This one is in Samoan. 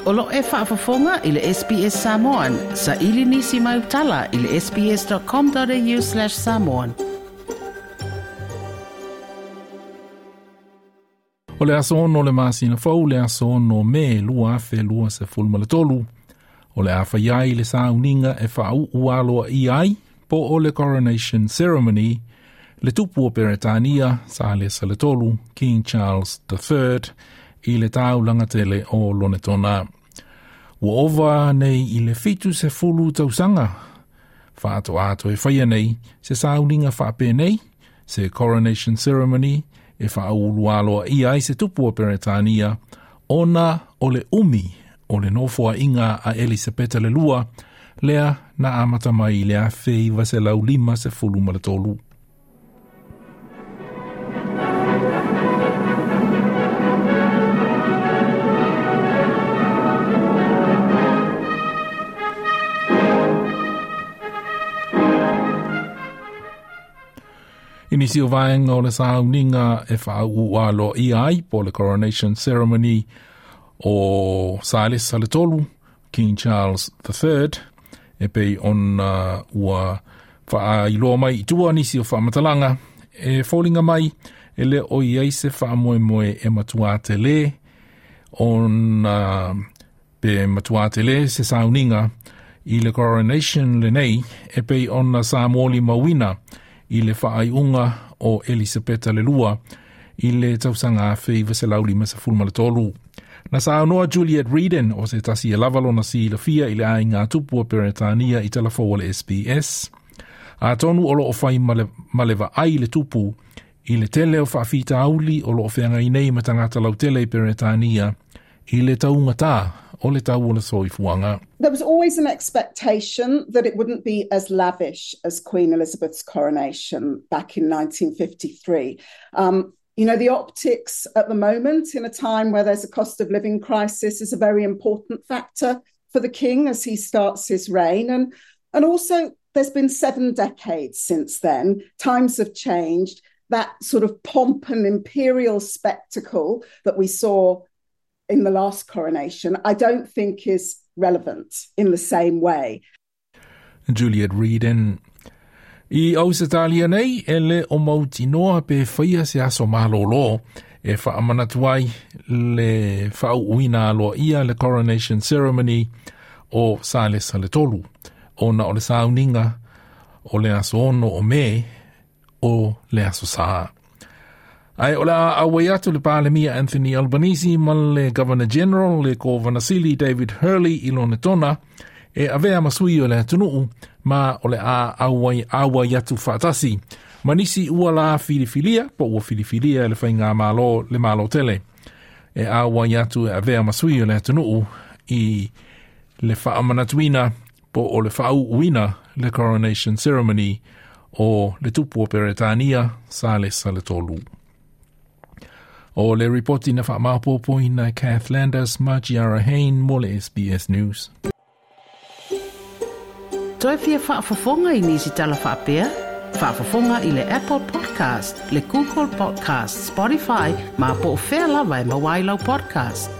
O lo e faafofoga i le SBS Samoan. Sa ili nisi mai utala i le sbs.com.au/samoan. O le aso ono le masina fou le aso ono me 2023. O le a fai ai le sauniga e faauu aloaia ai po o le coronation ceremony le tupu o Peretania Salesa le Tolu King Charles III i le taulaga tele o Lonetona. Ua ova nei i le 70 tausaga faatoa e faia nei se sauniga faapenei se coronation ceremony e faaulu aloaia ai se tupu o Peretania ona o le umi o le nofoaiga a Elisapeta le lua lea na amata mai i le 1953. I nisi o vaega o le sauniga e faauu aloaia ai po le coronation ceremony o Salesa le Tolu, King Charles III, e pei ona ua faailoa mai i tua nisi o faamatalaga e foliga mai e le o i ai se faamoemoe e matua tele ona pe matua tele se sauniga i le coronation lenei e pei ona sa molimauina i le faaiuga o Elisapeta le Lua i le tausaga 1953. Na saunoa Juliet Reeden o se tasi e lava lona silafia i le aiga tupu o Peretania i talafou o le SBS. Atonu o loo fai ma le vaai le tupu i le tele o faafitauli o loo feagai nei ma tagata lautele i Peretania i le taugatā o le tau o le soifuaga. There was always an expectation that it wouldn't be as lavish as Queen Elizabeth's coronation back in 1953. The optics at the moment in a time where there's a cost of living crisis is a very important factor for the king as he starts his reign. And also there's been 7 decades since then. Times have changed. That sort of pomp and imperial spectacle that we saw in the last coronation, I don't think is relevant in the same way. Juliet Reeden. I Ausetalia nei, e le o mautinoa pe whaia se aso malolo e whaamanatu ai le whaauuina aloaia le coronation ceremony o Salesa le Tolu. Ona o le sauniga o le aso ono o me o le aso sā. Ai o le a auai atu le Palemia Anthony Albanese ma le Governor General le Kovanasili David Hurley i Lonetona e avea ma sui o le atunuu ma o le a auai atu faatasi. Ma nisi ua la filifilia, po ua filifilia le whainga malo le malo tele. E auai atu e avea ma sui o le atunuu i le whaamanatuina po o le whaauuina le coronation ceremony o le tupu o Peretania Salesa le Tolu. O le ripoti na whaamapopo ina Kath Landers ma Giara Hain mo le SBS News. Toe fia faafofoga i nisi tala faapea? Faafofoga i le Apple Podcast, le Google Podcast, Spotify, ma po o fea lava e maua ai lau podcast.